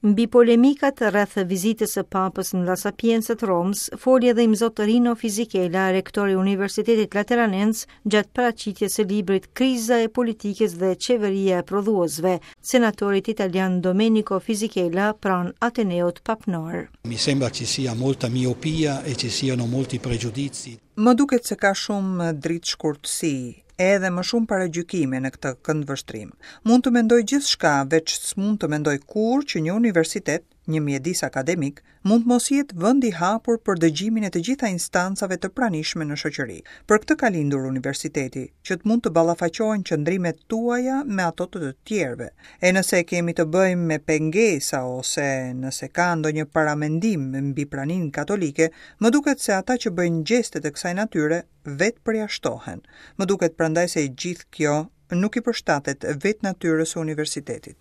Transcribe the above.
Mbi polemikat rreth vizitës së Papës në La Sapienza të Romës, foli edhe Imzot Rino Fisichella, rektor i Universitetit Lateranens, gjatë paraqitjes së librit Kriza e politikës dhe qeveria e prodhuesve, senatorit italian Domenico Fisichella pranë Ateneut Papnor. Mi sembra ci sia molta miopia e ci siano molti pregiudizi. Më duket se ka shumë dritëshkurtësi, edhe më shumë paragjykime në këtë këndvështrim. Mund të mendoj gjithçka, veç s'mund të mendoj kurrë që një universitet, një mjedis akademik, mund të mos jetë vend i hapur për dëgjimin e të gjitha instancave të pranishme në shoqëri. Për këtë ka lindur universiteti, që të mund të ballafaqohen qëndrimet tuaja me ato të të tjerëve. E nëse kemi të bëjmë me pengesa ose nëse ka ndonjë paramendim mbi praninë katolike, më duket se ata që bëjnë gjeste të kësaj natyre vetë përjashtohen. Më duket prandaj se e gjithë kjo nuk i përshtatet vetë natyrës së universitetit.